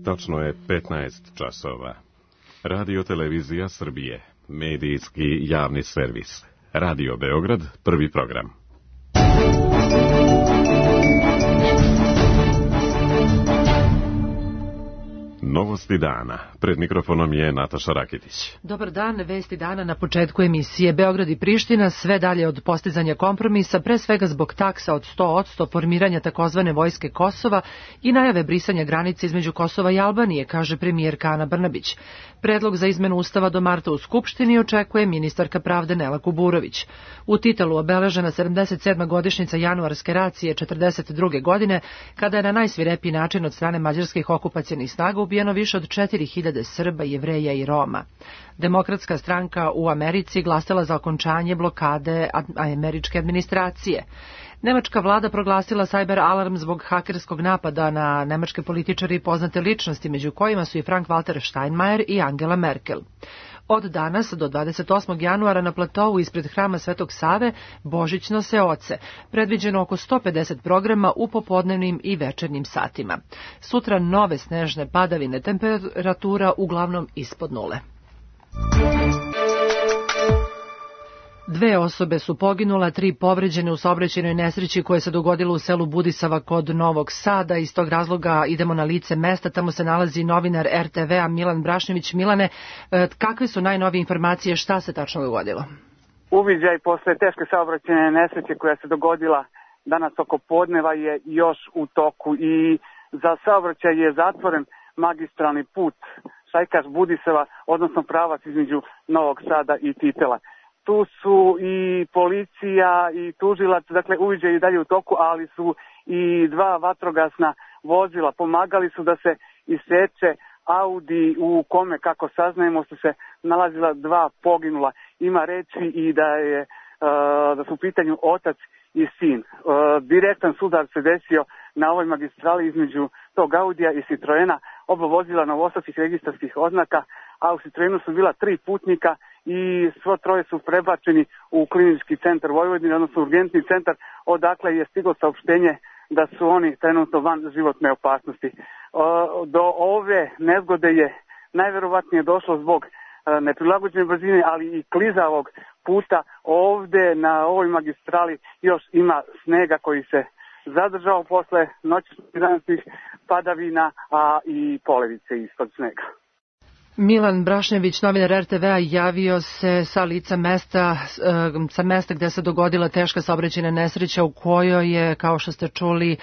Tačno je 15 časova. Radio Televizija Srbije, medijski javni servis. Radio Beograd, prvi program. Novosti dana. Pred mikrofonom je Nataša Rakitić. Dobar dan, vesti dana na početku emisije. Beograd i Priština sve dalje od postizanja kompromisa, pre svega zbog taksa od 100%, formiranja takozvane vojske Kosova i najave brisanja granice između Kosova i Albanije, kaže premijerka Ana Brnabić. Predlog za izmenu Ustava do marta u Skupštini očekuje ministarka pravde Nela Kuburović. U Titelu obeležena 77. godišnjica januarske racije 1942. godine, kada je na najsvirepiji način od strane mađarskih okupacionih snaga ubijeno više od 4000 Srba, Jevreja i Roma. Demokratska stranka u Americi glasala za okončanje blokade američke administracije. Nemačka vlada proglasila cyber alarm zbog hakerskog napada na nemačke političare i poznate ličnosti, među kojima su i Frank-Walter Steinmeier i Angela Merkel. Od danas do 28. januara na platovu ispred hrama Svetog Save božićno se oce, predviđeno oko 150 programa u popodnevnim i večernjim satima. Sutra nove snežne padavine, temperatura uglavnom ispod nule. 2 osobe su poginula, 3 povređene u saobraćajnoj nesreći koja se dogodila u selu Budisava kod Novog Sada. Iz tog razloga idemo na lice mesta, tamo se nalazi novinar RTV-a Milan Brašnjević. Milane, kakve su najnovije informacije, šta se tačno dogodilo? Uviđaj posle teške saobraćajne nesreće koja se dogodila danas oko podneva je još u toku i za saobraćaj je zatvoren magistralni put Šajkaš-Budisava, odnosno pravac između Novog Sada i Titela. Tu su i policija i tužilac, dakle uviđaj i dalje u toku, ali su i 2 vatrogasna vozila. Pomagali su da se iseče Audi u kome, kako saznajemo, su se nalazila 2 poginula. Ima reči i da su u pitanju otac i sin. Direktan sudar se desio na ovoj magistrali između tog Audija i Citroena, oba vozila novosadskih registarskih oznaka, a u Citroenu su bila 3 putnika i svo 3 su prebačeni u klinički centar Vojvodine, odnosno urgentni centar, odakle je stiglo saopštenje da su oni trenutno van životne opasnosti. Do ove nezgode je najverovatnije došlo zbog neprilagođene brzine, ali i klizavog puta. Ovde na ovoj magistrali još ima snega koji se zadržao posle noćnih padavina, a i polevice ispod snega. Milan Brašnjević, novinar RTV-a, javio se sa lica mesta, gde se dogodila teška saobraćajna nesreća u kojoj je, kao što ste čuli,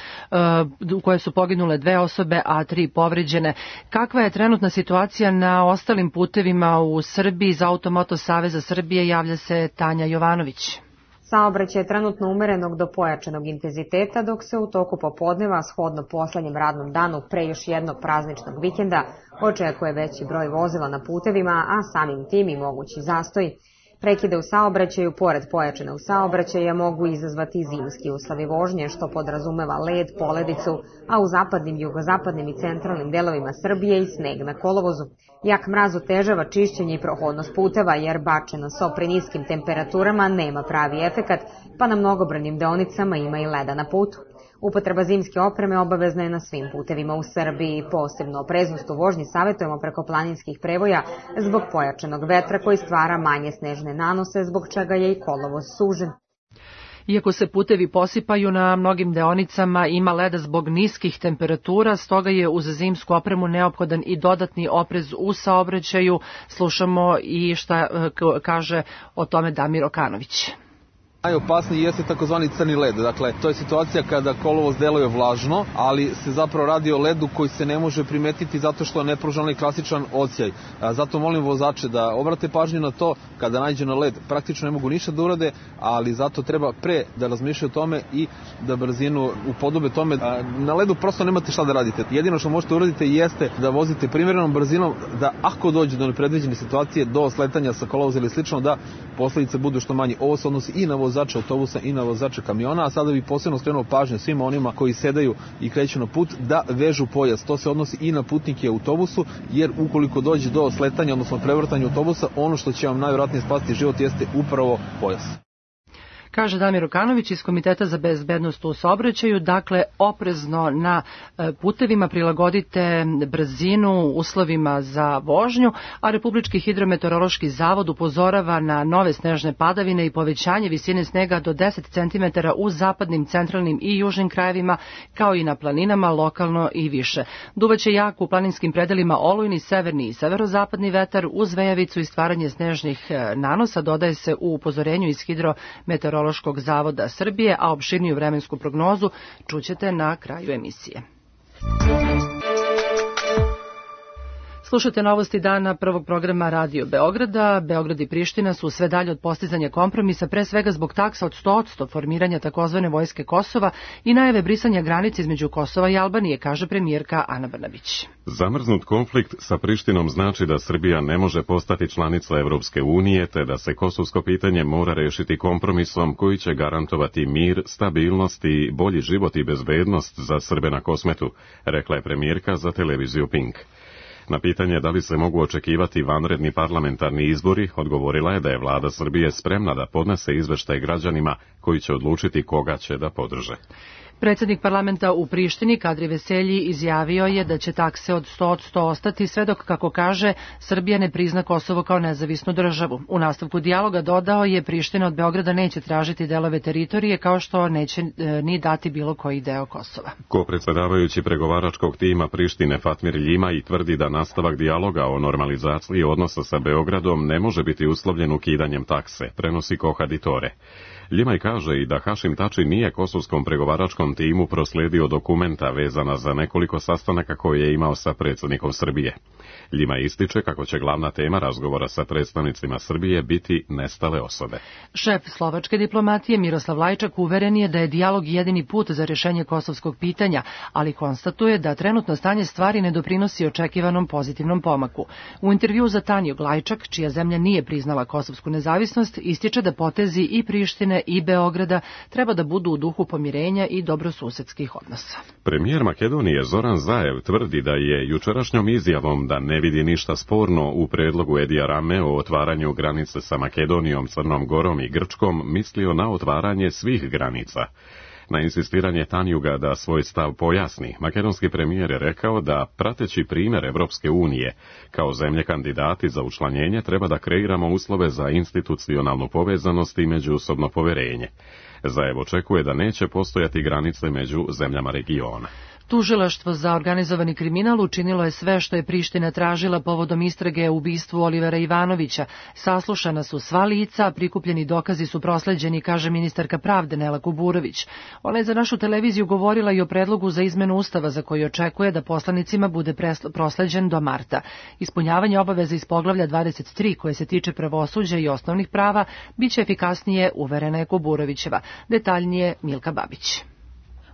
u kojoj su poginule 2 osobe, a 3 povređene. Kakva je trenutna situacija na ostalim putevima u Srbiji? Za Automoto Saveza Srbije javlja se Tanja Jovanović. Saobraćaj je trenutno umerenog do pojačanog intenziteta, dok se u toku popodneva, shodno poslednjem radnom danu pre još jednog prazničnog vikenda, očekuje veći broj vozila na putevima, a samim tim i mogući zastoj. Prekide u saobraćaju, pored pojačanog saobraćaja, mogu izazvati zimski uslovi vožnje, što podrazumeva led, poledicu, a u zapadnim, jugozapadnim i centralnim delovima Srbije i sneg na kolovozu. Jak mraz otežava čišćenje i prohodnost puteva, jer bačeno so pri niskim temperaturama nema pravi efekat, pa na mnogobrojnim deonicama ima i leda na putu. Upotreba zimske opreme obavezna je na svim putevima u Srbiji. Posebno opreznost u vožnji savjetujemo preko planinskih prevoja zbog pojačanog vetra koji stvara manje snežne nanose, zbog čega je i kolovoz sužen. Iako se putevi posipaju, na mnogim deonicama ima leda zbog niskih temperatura, stoga je uz zimsku opremu neophodan i dodatni oprez u saobraćaju. Slušamo i šta kaže o tome Damir Okanović. Najopasniji jeste takozvani crni led. Dakle, to je situacija kada kolovoz deluje vlažno, ali se zapravo radi o ledu koji se ne može primetiti zato što ne pruža onaj klasičan odsjaj. Zato molim vozače da obrate pažnju na to, kada nađe na led praktično ne mogu ništa da urade, ali zato treba pre da razmišljaju o tome i da brzinu upodobe tome. Na ledu prosto nemate šta da radite. Jedino što možete uraditi jeste da vozite primerenom brzinom, da ako dođe do nepredviđene situacije, do sletanja sa kolovoza ili slično, da posledice budu što manje. Ovo se odnosi i na vozače autobusa i na vozače kamiona, a sada bih posebno skrenuo pažnju svima onima koji sedaju i kreću na put da vežu pojas. To se odnosi i na putnike u autobusu, jer ukoliko dođe do sletanja, odnosno prevrtanja autobusa, ono što će vam najvjerojatnije spasiti život jeste upravo pojas. Kaže Damir Okanović iz Komiteta za bezbednost u saobraćaju. Dakle, oprezno na putevima, prilagodite brzinu uslovima za vožnju, a Republički hidrometeorološki zavod upozorava na nove snežne padavine i povećanje visine snega do 10 cm u zapadnim, centralnim i južnim krajevima, kao i na planinama, lokalno i više. Duvaće jak u planinskim predelima olujni, severni i severozapadni vetar uz vejavicu i stvaranje snežnih nanosa, dodaje se u upozorenju iz Hidrometeorološkog zavoda Srbije, a opširniju vremensku prognozu čućete na kraju emisije. Slušajte novosti dana prvog programa Radio Beograda. Beograd i Priština su sve dalje od postizanja kompromisa, pre svega zbog taksa od 100% formiranja takozvane vojske Kosova i najave brisanja granice između Kosova i Albanije, kaže premijerka Ana Brnabić. Zamrznut konflikt sa Prištinom znači da Srbija ne može postati članica Evropske unije, te da se kosovsko pitanje mora rešiti kompromisom koji će garantovati mir, stabilnost i bolji život i bezbednost za Srbe na Kosmetu, rekla je premijerka za televiziju Pink. Na pitanje da li se mogu očekivati vanredni parlamentarni izbori, odgovorila je da je vlada Srbije spremna da podnese izveštaj građanima koji će odlučiti koga će da podrže. Predsjednik parlamenta u Prištini, Kadri Veselji, izjavio je da će takse od 100% ostati sve dok, kako kaže, Srbija ne prizna Kosovo kao nezavisnu državu. U nastavku dijaloga dodao je Priština od Beograda neće tražiti delove teritorije, kao što neće ni dati bilo koji deo Kosova. Kopredsedavajući pregovaračkog tima Prištine Fatmir Ljima i tvrdi da nastavak dijaloga o normalizaciji odnosa sa Beogradom ne može biti uslovljen ukidanjem takse, prenosi Koha Ditore. Ljimaj kaže i da Hašim Tači nije kosovskom pregovaračkom timu prosledio dokumenta vezana za nekoliko sastanaka koje je imao sa predsjednikom Srbije. Ljimaj ističe kako će glavna tema razgovora sa predstavnicima Srbije biti nestale osobe. Šef slovačke diplomatije Miroslav Lajčak uveren je da je dijalog jedini put za rješenje kosovskog pitanja, ali konstatuje da trenutno stanje stvari ne doprinosi očekivanom pozitivnom pomaku. U intervju za Tanju Lajčak, čija zemlja nije priznala kosovsku nezavisnost, ističe da potezi i Prištine i Beograda treba da budu u duhu pomirenja i dobrosusedskih odnosa. Premijer Makedonije Zoran Zaev tvrdi da je jučerašnjom izjavom da ne vidi ništa sporno u predlogu Edija Rame o otvaranju granice sa Makedonijom, Crnom Gorom i Grčkom mislio na otvaranje svih granica. Na insistiranje Tanjuga da svoj stav pojasni, makedonski premijer je rekao da, prateći primjer Evropske unije, kao zemlje kandidati za učlanjenje treba da kreiramo uslove za institucionalnu povezanost i međusobno poverenje. Zaev očekuje da neće postojati granice među zemljama regiona. Tužilaštvo za organizovani kriminal učinilo je sve što je Priština tražila povodom istrage o ubistvu Olivera Ivanovića. Saslušana su sva lica, a prikupljeni dokazi su prosleđeni, kaže ministarka pravde Nela Kuburović. Ona je za našu televiziju govorila i o predlogu za izmenu Ustava za koji očekuje da poslanicima bude prosleđen do marta. Ispunjavanje obaveza iz poglavlja 23 koje se tiče pravosuđa i osnovnih prava biće efikasnije, uverena je Kuburovićeva. Detaljnije Milka Babić.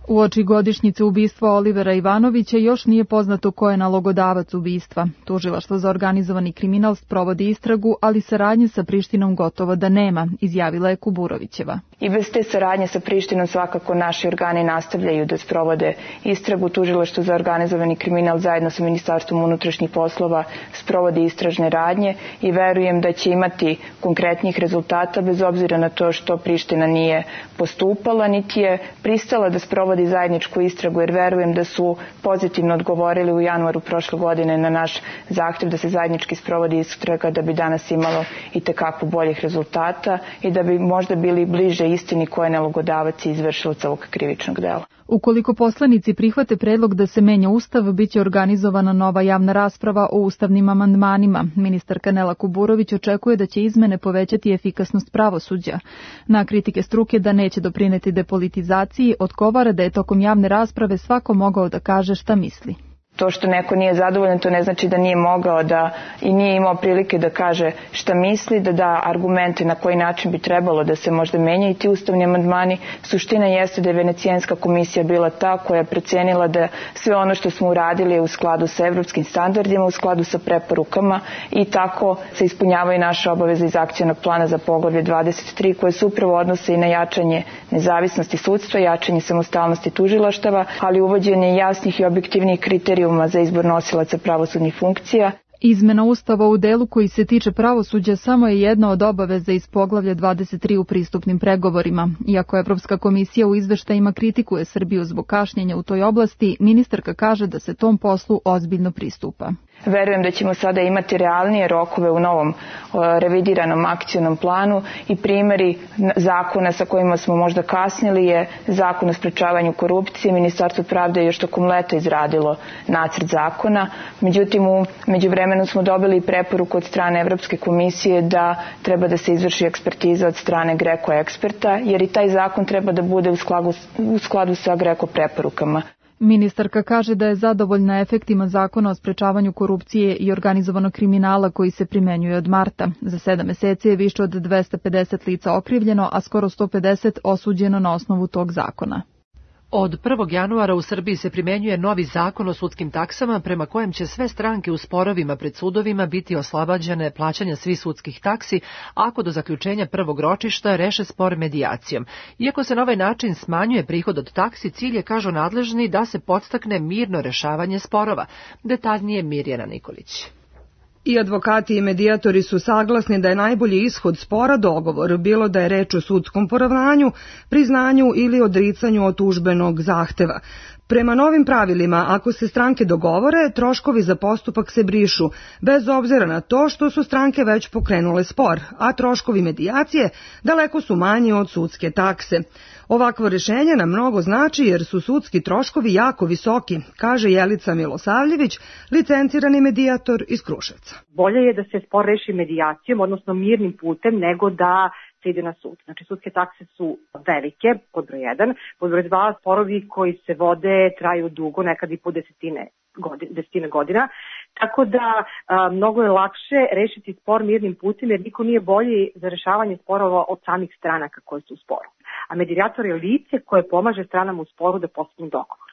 Uoči godišnjice ubistva Olivera Ivanovića još nije poznato ko je nalogodavac ubistva. Tužilaštvo za organizovani kriminal sprovodi istragu, ali saradnje sa Prištinom gotovo da nema, izjavila je Kuburovićeva. I bez te saradnje sa Prištinom svakako naši organi nastavljaju da sprovode istragu. Tužilaštvo za organizovani kriminal zajedno sa Ministarstvom unutrašnjih poslova sprovodi istražne radnje i verujem da će imati konkretnih rezultata bez obzira na to što Priština nije postupala, niti je pristala da sprovodi zajedničku istragu, jer verujem da su pozitivno odgovorili u januaru prošle godine na naš zahtev da se zajednički sprovodi istraga, da bi danas imalo i tekako boljih rezultata i da bi možda bili bliže istini ko je nalogodavac i izvršilac ovog krivičnog dela. Ukoliko poslanici prihvate predlog da se menja Ustav, biće organizovana nova javna rasprava o ustavnim amandmanima. Ministarka Nela Kuburović očekuje da će izmene povećati efikasnost pravosuđa. Na kritike struke da neće doprineti depolitizaciji, odgovara da je tokom javne rasprave svako mogao da kaže šta misli. To što neko nije zadovoljan, to ne znači da nije mogao da i nije imao prilike da kaže šta misli, da da argumente na koji način bi trebalo da se možda menjaju ti ustavni amandmani. Suština jeste da je Venecijanska komisija bila ta koja je procenila da sve ono što smo uradili je u skladu sa evropskim standardima, u skladu sa preporukama i tako se ispunjavaju naše obaveze iz akcionog plana za poglavlje 23 koje se upravo odnose i na jačanje nezavisnosti sudstva, jačanje samostalnosti tužilaštava, ali uvođenje jasnih i objektivnih kriterijuma za izbor nosilaca pravosudnih funkcija. Izmena Ustava u delu koji se tiče pravosuđa samo je jedna od obaveza iz poglavlja 23 u pristupnim pregovorima. Iako Evropska komisija u izveštajima kritikuje Srbiju zbog kašnjenja u toj oblasti, ministarka kaže da se tom poslu ozbiljno pristupa. Verujem da ćemo sada imati realnije rokove u novom revidiranom akcionom planu i primjeri zakona sa kojima smo možda kasnili je Zakon o sprečavanju korupcije. Ministarstvo pravde je još tokom leta izradilo nacrt zakona. Međutim, u međuvremenu smo dobili preporuku od strane Evropske komisije da treba da se izvrši ekspertiza od strane GRECO eksperta, jer i taj zakon treba da bude u skladu sa GRECO preporukama. Ministarka kaže da je zadovoljna efektima zakona o sprečavanju korupcije i organizovanog kriminala koji se primenjuje od marta. Za 7 meseci je više od 250 lica okrivljeno, a skoro 150 osuđeno na osnovu tog zakona. Od 1. januara u Srbiji se primenjuje novi zakon o sudskim taksama prema kojem će sve stranke u sporovima pred sudovima biti oslobađane plaćanja svih sudskih taksi ako do zaključenja prvog ročišta reše spor medijacijom. Iako se na ovaj način smanjuje prihod od taksi, cilj je, kažu nadležni, da se podstakne mirno rešavanje sporova. Detaljnije Mirjana Nikolić. I advokati i medijatori su saglasni da je najbolji ishod spora dogovor, bilo da je reč o sudskom poravnanju, priznanju ili odricanju od tužbenog zahteva. Prema novim pravilima, ako se stranke dogovore, troškovi za postupak se brišu, bez obzira na to što su stranke već pokrenule spor, a troškovi medijacije daleko su manji od sudske takse. Ovakvo rešenje nam mnogo znači jer su sudski troškovi jako visoki, kaže Jelica Milosavljević, licencirani medijator iz Kruševca. Bolje je da se spor reši medijacijom, odnosno mirnim putem, nego da se ide na sud. Znači, sudske takse su velike, pod broj 1. Pod broj 2, sporovi koji se vode traju dugo, nekad i po desetine godina. Tako da mnogo je lakše rešiti spor mirnim putem, jer niko nije bolji za rešavanje sporova od samih stranaka koje su u sporu. A medijator je lice koje pomaže stranama u sporu da postignu dogovor.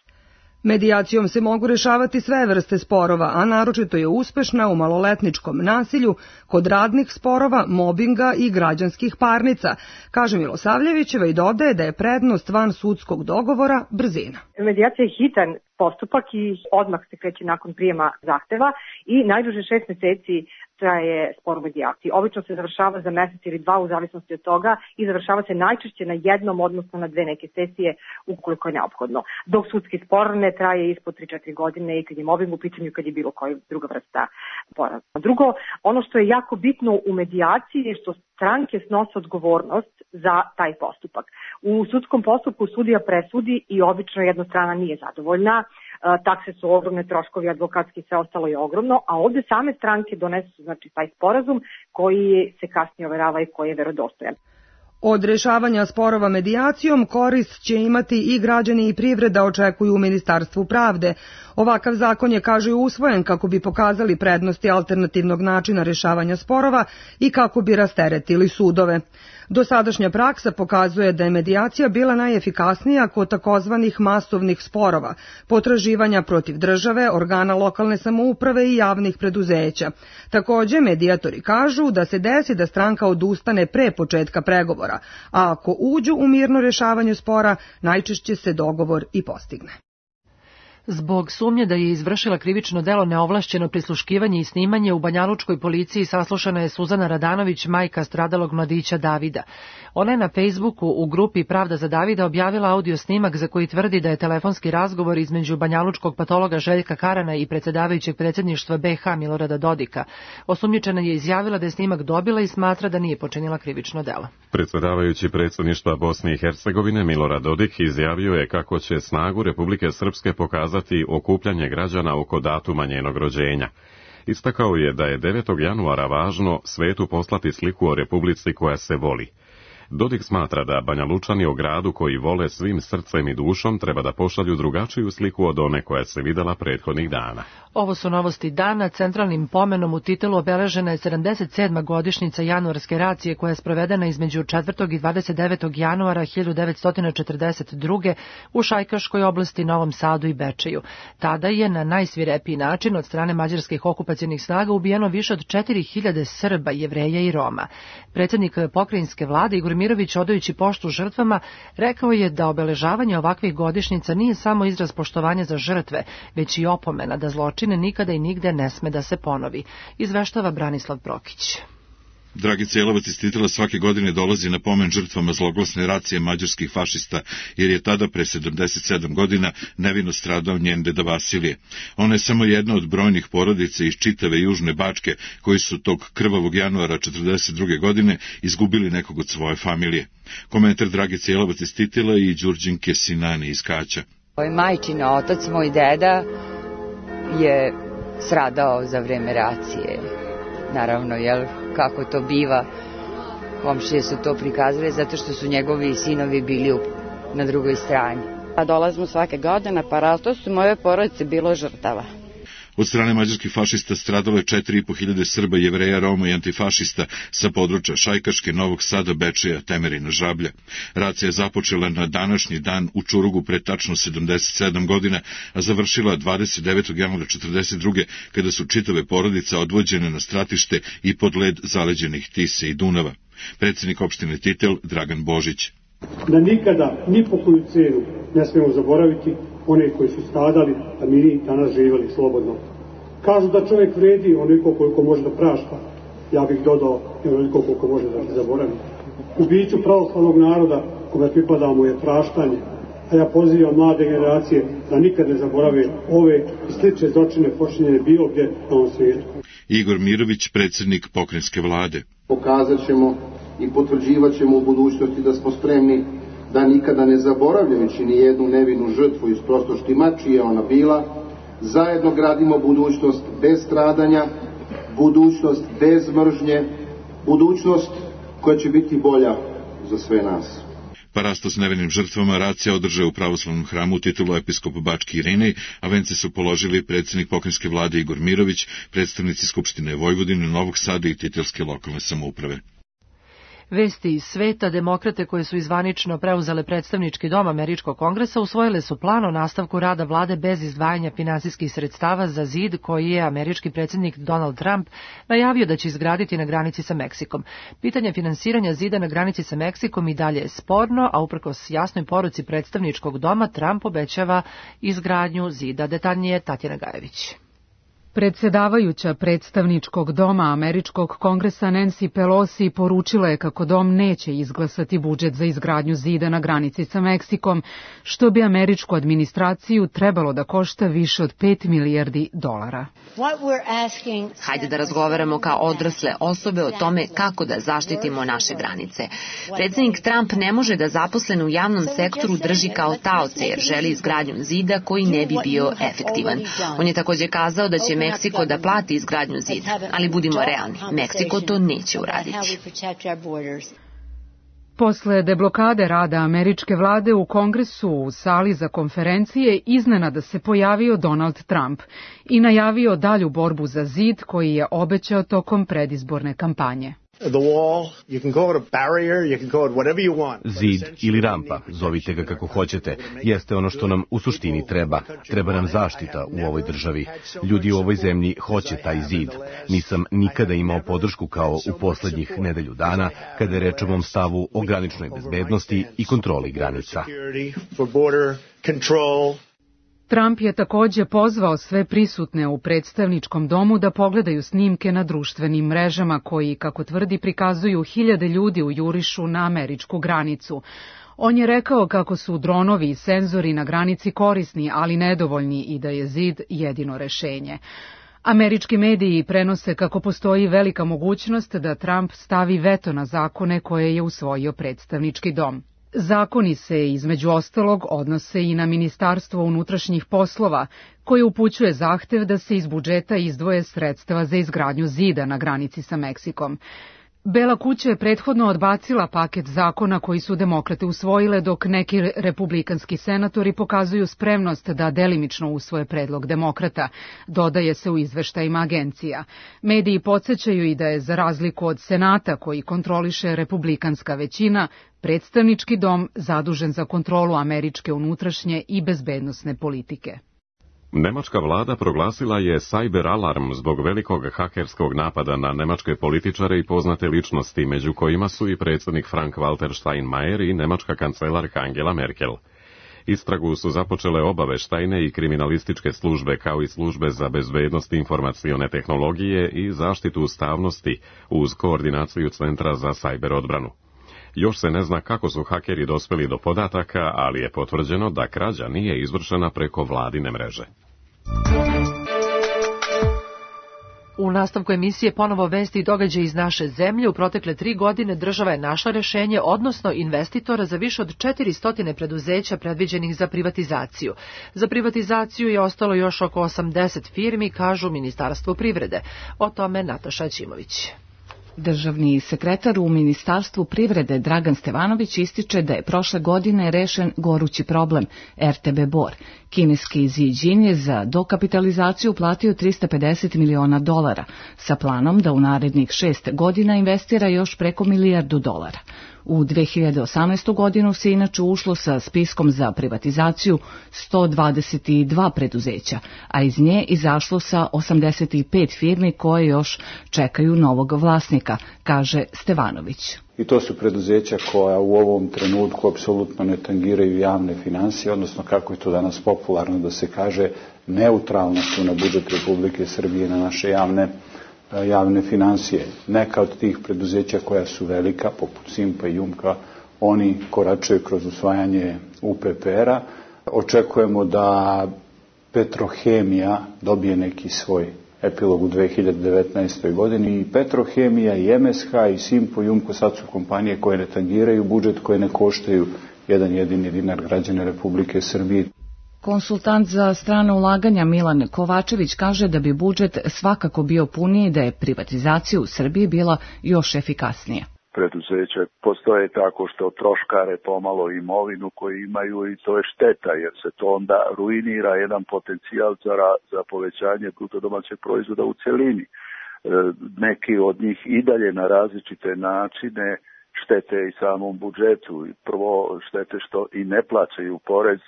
Medijacijom se mogu rešavati sve vrste sporova, a naročito je uspešna u maloletničkom nasilju, kod radnih sporova, mobinga i građanskih parnica, kaže Milosavljevićeva i dodaje da je prednost van sudskog dogovora brzina. Medijacija je hitan postupak i odmah se kreće nakon prijema zahteva i najduže 6 meseci traje spor u medijaciji. Obično se završava za mesec ili 2 u zavisnosti od toga i završava se najčešće na jednom, odnosno na 2 neke sesije ukoliko je neophodno. Dok sudski spor ne traje ispod 3-4 godine i kad je mobbing u pitanju, kad je bilo koja druga vrsta spora. Drugo, ono što je jako bitno u medijaciji je što stranke snose odgovornost za taj postupak. U sudskom postupku sudija presudi i obično jedna strana nije zadovoljna. Takse su ogromne, troškovi advokatski, sve ostalo je ogromno, a ovde same stranke donesu znači taj sporazum koji se kasnije overava i koji je verodostojan. Od rešavanja sporova medijacijom korist će imati i građani i privreda, očekuju u Ministarstvu pravde. Ovakav zakon je, kažu, usvojen kako bi pokazali prednosti alternativnog načina rešavanja sporova i kako bi rasteretili sudove. Dosadašnja praksa pokazuje da je medijacija bila najefikasnija kod takozvanih masovnih sporova, potraživanja protiv države, organa lokalne samouprave i javnih preduzeća. Takođe, medijatori kažu da se desi da stranka odustane pre početka pregovora, a ako uđu u mirno rešavanje spora, najčešće se dogovor i postigne. Zbog sumnje da je izvršila krivično delo neovlašćeno prisluškivanje i snimanje, u banjalučkoj policiji saslušana je Suzana Radanović, majka stradalog mladića Davida. Ona je na Facebooku u grupi Pravda za Davida objavila audio snimak za koji tvrdi da je telefonski razgovor između banjalučkog patologa Željka Karana i predsjedavajućeg predsjedništva BiH Milorada Dodika. Osumnjičena je izjavila da je snimak dobila i smatra da nije počinila krivično delo. Predsjedavajući predsjedništva Bosne i Hercegovine Milorad Dodik izjavio je kako će snagu Republike Srpske pokazati okupljanje građana oko datuma njenog rođenja. Istakao je da je 9. januara važno svetu poslati sliku o Republici koja se voli. Dodik smatra da Banjalučani o gradu koji vole svim srcem i dušom treba da pošalju drugačiju sliku od one koja se videla prethodnih dana. Ovo su novosti dana. Centralnim pomenom u titulu obeležena je 77. godišnjica januarske racije koja je sprovedena između 4. i 29. januara 1942. u Šajkaškoj oblasti, Novom Sadu i Bečeju. Tada je na najsvirepiji način od strane mađarskih okupacionih snaga ubijeno više od 4000 Srba, Jevreja i Roma. Predsjednik pokrajinske vlade Igor Igor Mirović, odajući poštu žrtvama, rekao je da obeležavanje ovakvih godišnjica nije samo izraz poštovanja za žrtve, već i opomena da zločine nikada i nigde ne sme da se ponovi. Izveštava Branislav Prokić. Dragica Jelovac iz Titela svake godine dolazi na pomen žrtvama zloglasne racije mađarskih fašista, jer je tada pre 77 godina nevino stradao njen deda Vasilije. Ona je samo jedna od brojnih porodica iz čitave Južne Bačke, koji su tog krvavog januara 42. godine izgubili nekog od svoje familije. Komentar Dragice Jelovac iz Titela i Đurđinke Sinani iz Kaća. Moj majčin otac, moj deda, je stradao za vreme racije. Naravno, kako to biva, komšije su to prikazali zato što su njegovi sinovi bili na drugoj strani. Dolazimo svake godine, pa različito su moje porodice bilo žrtava. Od strane mađarskih fašista stradalo je 4.500 Srba, Jevreja, Roma i antifašista sa područja Šajkaške, Novog Sada, Bečeja, Temerina, Žablja. Racija je započela na današnji dan u Čurugu pre tačno 77 godina, a završila 29. januara 42. kada su čitave porodice odvođene na stratište i pod led zaleđenih Tise i Dunava. Predsjednik opštine Titel Dragan Božić. Da nikada, ni po koju cenu, ne smemo zaboraviti one koji su stradali, a mi danas živjeli slobodno. Kažu da čovjek vredi onoliko koliko može da prašta. Ja bih dodao onoliko koliko može da zaboravi. U biću pravoslavnog naroda kome pripadamo je praštanje, a ja pozivam mlade generacije da nikad ne zaborave ove i slične zločine počinjene bilo gdje na ovom svijetu. Igor Mirović, predsjednik pokrajinske vlade. Pokazat ćemo i potvrđivat ćemo u budućnosti da smo spremni da nikada ne zaboravljajući ni jednu nevinu žrtvu iz prostoštima čija je ona bila, zajedno gradimo budućnost bez stradanja, budućnost bez mržnje, budućnost koja će biti bolja za sve nas. Parasto s nevinim žrtvama racija održao u pravoslavnom hramu u titulu episkop Bački Irinej, a vence su položili predsjednik pokrajinske vlade Igor Mirović, predstavnici Skupštine Vojvodine, Novog Sada i titelske lokalne samouprave. Vesti iz sveta, demokrate koje su izvanično preuzele predstavnički dom Američkog kongresa usvojile su plan o nastavku rada vlade bez izdvajanja finansijskih sredstava za zid koji je američki predsjednik Donald Trump najavio da će izgraditi na granici sa Meksikom. Pitanje finansiranja zida na granici sa Meksikom i dalje je sporno, a uprkos jasnoj poruci predstavničkog doma Trump obećava izgradnju zida. Detaljnije Tatjana Gajević. Predsedavajuća predstavničkog doma Američkog kongresa Nancy Pelosi poručila je kako dom neće izglasati budžet za izgradnju zida na granici sa Meksikom, što bi američku administraciju trebalo da košta više od $5 milijardi. Hajde da razgovaramo kao odrasle osobe o tome kako da zaštitimo naše granice. Predsjednik Trump ne može da zaposlene u javnom sektoru drži kao taoce jer želi izgradnju zida koji ne bi bio efektivan. On je također kazao da će Meksiko da plati izgradnju zida, ali budimo realni, Meksiko to neće uraditi. Posle deblokade rada američke vlade u Kongresu u sali za konferencije iznenada se pojavio Donald Trump i najavio dalju borbu za zid koji je obećao tokom predizborne kampanje. Zid ili rampa, zovite ga kako hoćete, jeste ono što nam u suštini treba. Treba nam zaštita u ovoj državi. Ljudi u ovoj zemlji hoće taj zid. Nisam nikada imao podršku kao u poslednjih nedelju dana kada je reč o mom stavu o graničnoj bezbednosti i kontroli granica. Trump je također pozvao sve prisutne u predstavničkom domu da pogledaju snimke na društvenim mrežama koji, kako tvrdi, prikazuju hiljade ljudi u jurišu na američku granicu. On je rekao kako su dronovi i senzori na granici korisni, ali nedovoljni i da je zid jedino rešenje. Američki mediji prenose kako postoji velika mogućnost da Trump stavi veto na zakone koje je usvojio predstavnički dom. Zakoni se, između ostalog, odnose i na Ministarstvo unutrašnjih poslova, koje upućuje zahtev da se iz budžeta izdvoje sredstva za izgradnju zida na granici sa Meksikom. Bela kuća je prethodno odbacila paket zakona koji su demokrate usvojile, dok neki republikanski senatori pokazuju spremnost da delimično usvoje predlog demokrata, dodaje se u izveštajima agencija. Mediji podsjećaju i da je, za razliku od Senata koji kontroliše republikanska većina, predstavnički dom zadužen za kontrolu američke unutrašnje i bezbednosne politike. Nemačka vlada proglasila je cyber alarm zbog velikog hakerskog napada na nemačke političare i poznate ličnosti, među kojima su i predsjednik Frank-Walter Steinmeier i nemačka kancelarka Angela Merkel. Istragu su započele obaveštajne i kriminalističke službe, kao i službe za bezbednost informacione tehnologije i zaštitu ustavnosti uz koordinaciju Centra za cyber odbranu. Još se ne zna kako su hakeri dospeli do podataka, ali je potvrđeno da krađa nije izvršena preko vladine mreže. U nastavku emisije ponovo vesti i događaj iz naše zemlje. U protekle 3 godine država je našla rešenje, odnosno investitora za više od 400 preduzeća predviđenih za privatizaciju. Za privatizaciju je ostalo još oko 80 firmi, kažu Ministarstvo privrede. O tome Nataša Ćimović. Državni sekretar u Ministarstvu privrede Dragan Stevanović ističe da je prošle godine rešen gorući problem RTB Bor. Kineski Ziđin je za dokapitalizaciju platio $350 miliona sa planom da u narednih 6 godina investira još preko $1 milijardu. U 2018. godinu se inače ušlo sa spiskom za privatizaciju 122 preduzeća, a iz nje izašlo sa 85 firmi koje još čekaju novog vlasnika, kaže Stevanović. I to su preduzeća koja u ovom trenutku apsolutno ne tangiraju javne finansije, odnosno kako je to danas popularno da se kaže, neutralno su na budžet Republike Srbije, na naše javne finansije. Neka od tih preduzeća koja su velika, poput Simpa i Jumka, oni koračaju kroz usvajanje UPPR-a. Očekujemo da Petrohemija dobije neki svoj epilog u 2019. godini. I Petrohemija, i MSH, i Simpo, i Jumko sad su kompanije koje ne tangiraju budžet, koje ne koštaju jedan jedini dinar građane Republike Srbije. Konsultant za strane ulaganja Milan Kovačević kaže da bi budžet svakako bio puniji da je privatizacija u Srbiji bila još efikasnija. Preduzeće postoje tako što troškare pomalo imovinu koju imaju i to je šteta jer se to onda ruinira jedan potencijal za povećanje bruto domaćeg proizvoda u celini. Neki od njih i dalje na različite načine štete i samom budžetu. Prvo štete što i ne plaćaju porez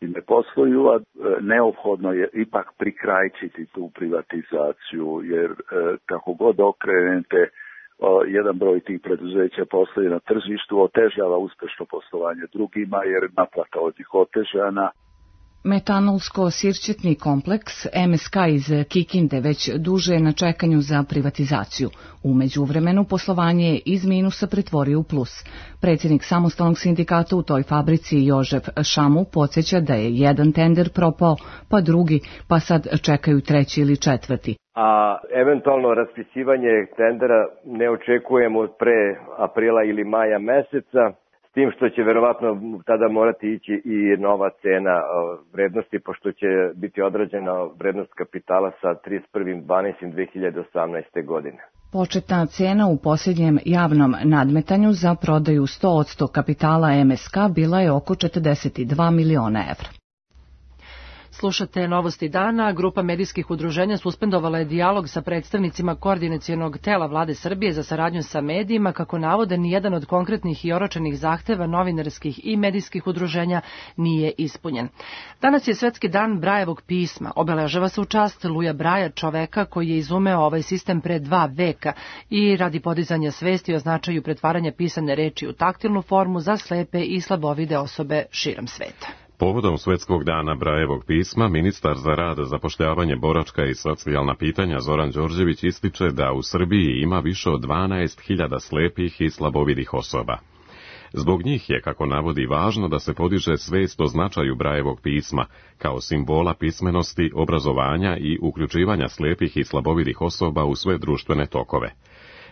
i ne posluju, a neophodno je ipak prikrajčiti tu privatizaciju, jer kako god okrenete, jedan broj tih preduzeća posluje na tržištu, otežava uspešno poslovanje drugima, jer naplata od njih otežana. Metanolsko-sirćetni kompleks MSK iz Kikinde već duže je na čekanju za privatizaciju. U međuvremenu poslovanje je iz minusa pretvorio u plus. Predsjednik samostalnog sindikata u toj fabrici Jožef Šamu podsjeća da je jedan tender propao, pa drugi, pa sad čekaju treći ili četvrti. A eventualno raspisivanje tendera ne očekujemo pre aprila ili maja meseca, s tim što će verovatno tada morati ići i nova cena vrednosti, pošto će biti odrađena vrednost kapitala sa 31.12.2018. godine. Početna cena u posljednjem javnom nadmetanju za prodaju 100% kapitala MSK bila je oko 42 miliona evra. Slušate Novosti dana. Grupa medijskih udruženja suspendovala je dijalog sa predstavnicima koordinacionog tela Vlade Srbije za saradnju sa medijima, kako navode nijedan od konkretnih i oročenih zahteva novinarskih i medijskih udruženja nije ispunjen. Danas je Svetski dan Brajevog pisma. Obeležava se u čast Luja Braja, čoveka koji je izumeo ovaj sistem pre 2 veka i radi podizanja svesti o značaju pretvaranja pisane reči u taktilnu formu za slepe i slabovide osobe širom sveta. Povodom Svetskog dana Brajevog pisma, ministar za rad, zapošljavanje, boračka i socijalna pitanja Zoran Đorđević ističe da u Srbiji ima više od 12.000 slepih i slabovidih osoba. Zbog njih je, kako navodi, važno da se podiže svest o značaju Brajevog pisma, kao simbola pismenosti, obrazovanja i uključivanja slepih i slabovidih osoba u sve društvene tokove.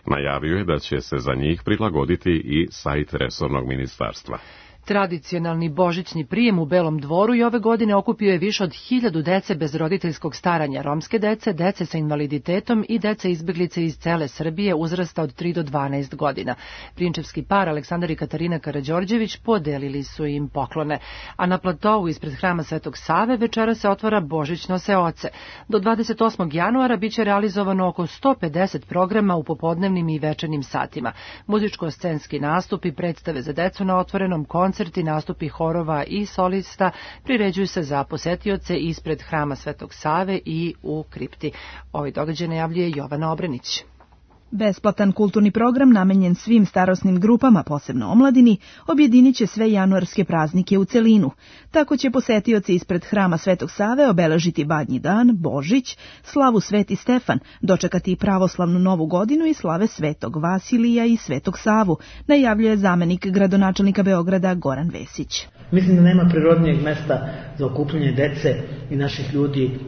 Najavio je da će se za njih prilagoditi i sajt resornog ministarstva. Tradicionalni božićni prijem u Belom Dvoru i ove godine okupio je više od 1000 dece bez roditeljskog staranja, romske dece, dece sa invaliditetom i dece izbeglice iz cele Srbije uzrasta od 3 do 12 godina. Prinčevski par Aleksandar i Katarina Karađorđević podelili su im poklone. A na platovu ispred hrama Svetog Save večera se otvara božićno seoce. Do 28. januara biće realizovano oko 150 programa u popodnevnim i večernjim satima. Muzičko-scenski nastupi, predstave za decu na otvorenom, koncerti koncerti, nastupi horova i solista priređuju se za posetioce ispred Hrama Svetog Save i u kripti. Ovaj događaj najavljuje Jovana Obrenić. Besplatan kulturni program namenjen svim starosnim grupama, posebno omladini, objedinit će sve januarske praznike u celinu. Tako će posetioci ispred Hrama Svetog Save obeležiti Badnji dan, Božić, slavu Sveti Stefan, dočekati pravoslavnu Novu godinu i slave Svetog Vasilija i Svetog Savu, najavljuje zamenik gradonačelnika Beograda Goran Vesić. Mislim da nema prirodnijeg mesta za okupljanje dece i naših ljudi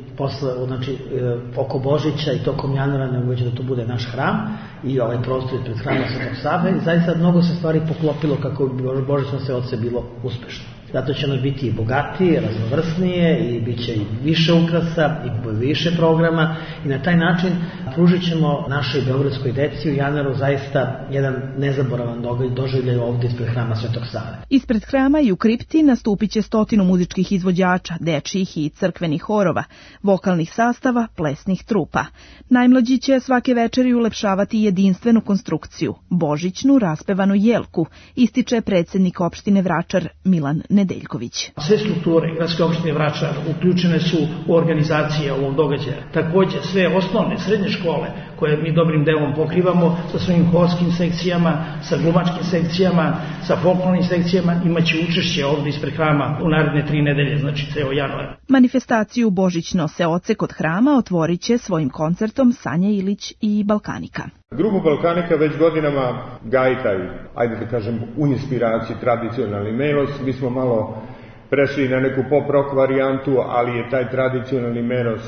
oko Božića i tokom januara, nego da to bude naš hram i ovaj prostor pred Hramom Svetog Save. I zaista mnogo se stvari poklopilo kako bi Božićno seoce bilo uspešno. Zato će ono biti i bogatije, raznovrsnije i bit će i više ukrasa i više programa i na taj način pružit ćemo našoj beogradskoj deci u januaru zaista jedan nezaboravan doživljaj ovdje ispred Hrama Svetog Save. Ispred hrama i u kripti nastupit će 100 muzičkih izvođača, dečjih i crkvenih horova, vokalnih sastava, plesnih trupa. Najmlađi će svake večeri ulepšavati jedinstvenu konstrukciju, božićnu raspevanu jelku, ističe predsjednik opštine Vračar Milan Nedeljković. Sve strukture gradske opštine Vračar uključene su u organizacije ovog događaja. Također sve osnovne, srednje škole koje mi dobrim delom pokrivamo sa svojim horskim sekcijama, sa glumačkim sekcijama, sa folklornim sekcijama imaće učešće ovdje ispred hrama u naredne 3 nedelje, znači ceo januar. Manifestaciju Božićno seoce kod hrama otvorit će svojim koncertom Sanja Ilić i Balkanika. Grupa Balkanika već godinama gaji taj, ajde da kažem, u inspiraciji tradicionalni melos. Mi smo malo prešli na neku pop-rock varijantu, ali je taj tradicionalni melos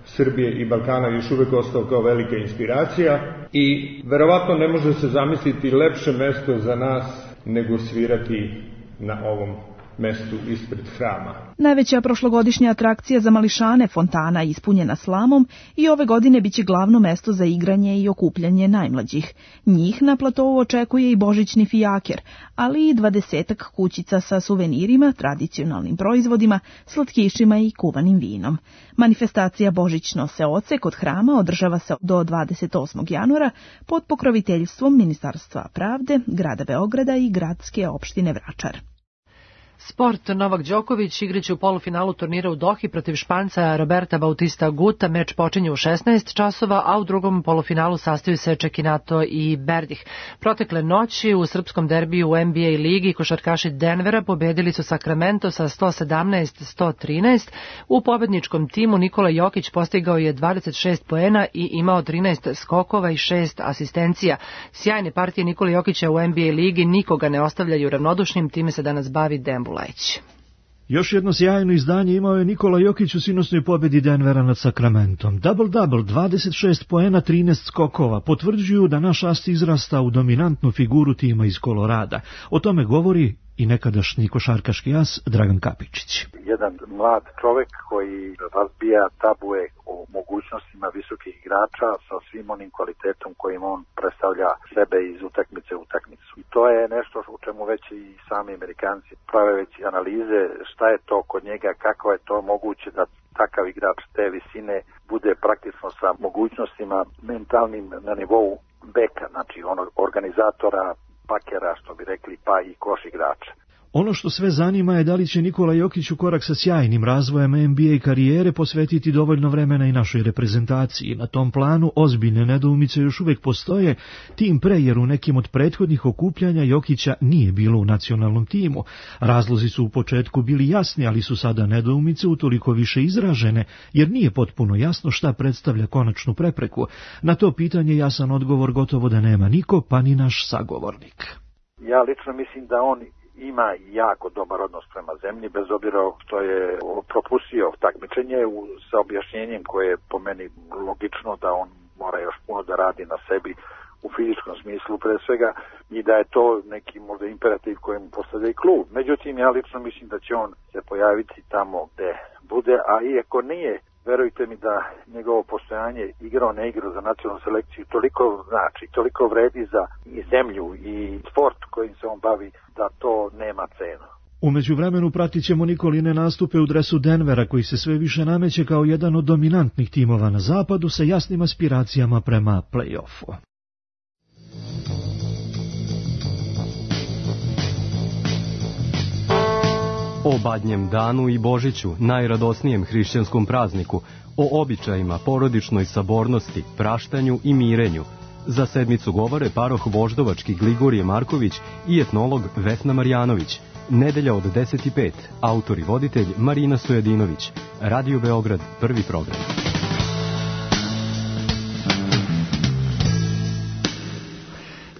Srbije i Balkana još uvek ostao kao velika inspiracija i verovatno ne može se zamisliti lepše mesto za nas nego svirati na ovom mestu ispred hrama. Najveća prošlogodišnja atrakcija za mališane, fontana ispunjena slamom, i ove godine biće glavno mesto za igranje i okupljanje najmlađih. Njih na platovu očekuje i božićni fijaker, ali i 20 kućica sa suvenirima, tradicionalnim proizvodima, slatkišima i kuvanim vinom. Manifestacija Božićno seoce kod hrama održava se do 28. januara pod pokroviteljstvom Ministarstva pravde, grada Beograda i gradske opštine Vračar. Sport. Novak Đoković igraće u polufinalu turnira u Dohi protiv Španca Roberta Bautista Guta. Meč počinje u 16 časova, a u drugom polufinalu sastaju se Čekinato i Berdih. Protekle noći u srpskom derbiju u NBA ligi košarkaši Denvera pobedili su Sacramento sa 117-113. U pobedničkom timu Nikola Jokić postigao je 26 poena i imao 13 skokova i 6 asistencija. Sjajne partije Nikola Jokića u NBA ligi nikoga ne ostavljaju ravnodušnim, time se danas bavi Dembu Laić. Još jedno sjajno izdanje imao je Nikola Jokić u sinoćnoj pobjedi Denvera nad Sacramentom. Double-double, 26 poena, 13 skokova, potvrđuju da naš ast izrasta u dominantnu figuru tima iz Kolorada. O tome govori i nekadašnji košarkaški as Dragan Kapičić. Jedan mlad čovek koji razbija tabue o mogućnostima visokih igrača sa svim onim kvalitetom kojim on predstavlja sebe iz utakmice u utakmicu. I to je nešto u čemu već i sami Amerikanci prave već analize, šta je to kod njega, kako je to moguće da takav igrač te visine bude praktično sa mogućnostima mentalnim na nivou beka, znači onog organizatora, pakera, što bi rekli, pa i koš igrača. Ono što sve zanima je da li će Nikola Jokić u korak sa sjajnim razvojem NBA karijere posvetiti dovoljno vremena i našoj reprezentaciji. Na tom planu ozbiljne nedoumice još uvijek postoje, tim pre jer u nekim od prethodnih okupljanja Jokića nije bilo u nacionalnom timu. Razlozi su u početku bili jasni, ali su sada nedoumice utoliko više izražene, jer nije potpuno jasno šta predstavlja konačnu prepreku. Na to pitanje jasan odgovor gotovo da nema niko, pa ni naš sagovornik. Ja lično mislim da on ima jako dobar odnos prema zemlji, bez obzira što je propustio takmičenje sa objašnjenjem koje je po meni logično da on mora još puno da radi na sebi u fizičkom smislu pre svega i da je to neki možda imperativ koji mu postavlja i klub. Međutim, ja lično mislim da će on se pojaviti tamo gde bude, a iako nije, verujte mi da njegovo postojanje igrao ne igrao za nacionalnu selekciju toliko znači, toliko vredi za i zemlju i sport kojim se on bavi da to nema cenu. U međuvremenu pratit ćemo Nikoline nastupe u dresu Denvera koji se sve više nameće kao jedan od dominantnih timova na zapadu sa jasnim aspiracijama prema play-offu. O Badnjem danu i Božiću, najradosnijem hrišćanskom prazniku, o običajima, porodičnoj sabornosti, praštanju i mirenju. Za sedmicu govore paroh Voždovački Gligorije Marković i etnolog Vesna Marjanović. Nedelja od 10:05, autor i voditelj Marina Stojadinović. Radio Beograd, prvi program.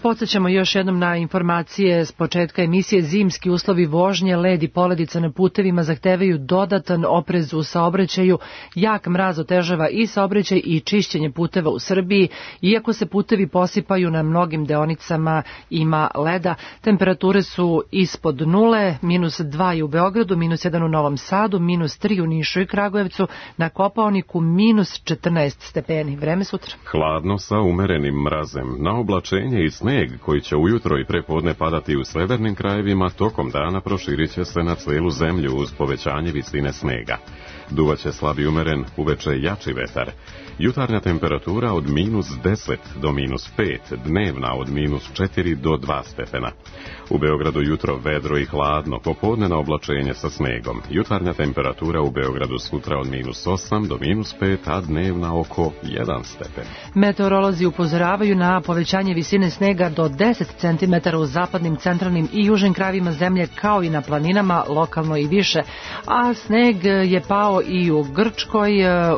Podsećamo još jednom na informacije s početka emisije. Zimski uslovi vožnje, led i poledica na putevima zahtevaju dodatan oprez u saobraćaju. Jak mraz otežava i saobraćaj i čišćenje puteva u Srbiji. Iako se putevi posipaju, na mnogim deonicama ima leda. Temperature su ispod nule, -2 je u Beogradu, -1 u Novom Sadu, -3 u Nišu i Kragujevcu, na Kopaoniku -14 stepeni. Vreme sutra. Hladno sa umerenim mrazem, na oblačenje i sneg koji će ujutro i prepodne padati u severnim krajevima, tokom dana proširit će se na celu zemlju uz povećanje visine snega. Duvaće slab i umeren, uveče jači vetar. Jutarnja temperatura od -10 do -5, dnevna od -4 do 2 stepena. U Beogradu jutro vedro i hladno, popodne na oblačenje sa snegom. Jutarnja temperatura u Beogradu sutra od -8 do -5, a dnevna oko 1 stepen. Meteorolozi upozoravaju na povećanje visine snega do 10 cm u zapadnim, centralnim i južnim krajevima zemlje, kao i na planinama, lokalno i više. A sneg je pao i u Grčkoj,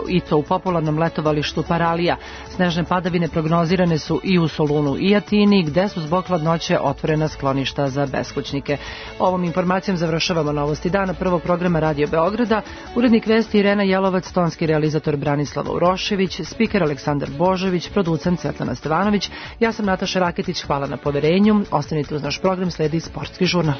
i to u popularnom letovalištu Paralija. Snežne padavine prognozirane su i u Solunu i Atini, gde su zbog hladnoće otvorena skloništa za beskućnike. Ovom informacijom završavamo novosti dana prvog programa Radio Beograda. Urednik vesti Irena Jelovac, tonski realizator Branislava Urošević, spiker Aleksandar Božović, producent Svetlana Stevanović. Ja sam Nataša Raketić, hvala na poverenju. Ostanite uz naš program, sledi Sportski žurnal.